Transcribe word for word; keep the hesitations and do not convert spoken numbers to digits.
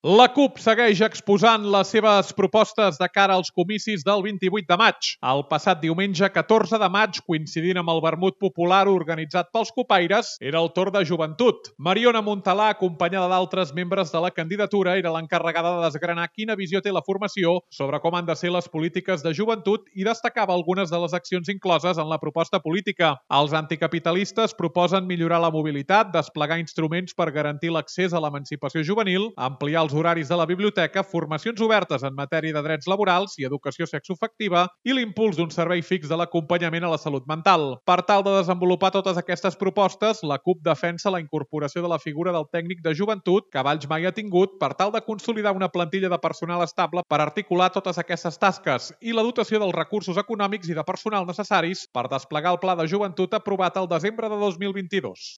La CUP segueix exposant les seves propostes de cara als comicis del vint-i-vuit de maig. El passat diumenge catorze de maig, coincidint amb el vermut popular organitzat pels copaires, era el torn de joventut. Mariona Montalà, acompanyada d'altres membres de la candidatura, era l'encarregada de desgranar quina visió té la formació sobre com han de ser les polítiques de joventut i destacava algunes de les accions incloses en la proposta política. Els anticapitalistes proposen millorar la mobilitat, desplegar instruments per garantir l'accés a l'emancipació juvenil, ampliar els horaris de la biblioteca, formacions obertes en matèria de drets laborals i educació sexoafectiva i l'impuls d'un servei fix de l'acompanyament a la salut mental. Per tal de desenvolupar totes aquestes propostes, la CUP defensa la incorporació de la figura del tècnic de joventut que Valls mai ha tingut per tal de consolidar una plantilla de personal estable per articular totes aquestes tasques i la dotació dels recursos econòmics i de personal necessaris per desplegar el Pla de Joventut aprovat el desembre de dos mil vint-i-dos.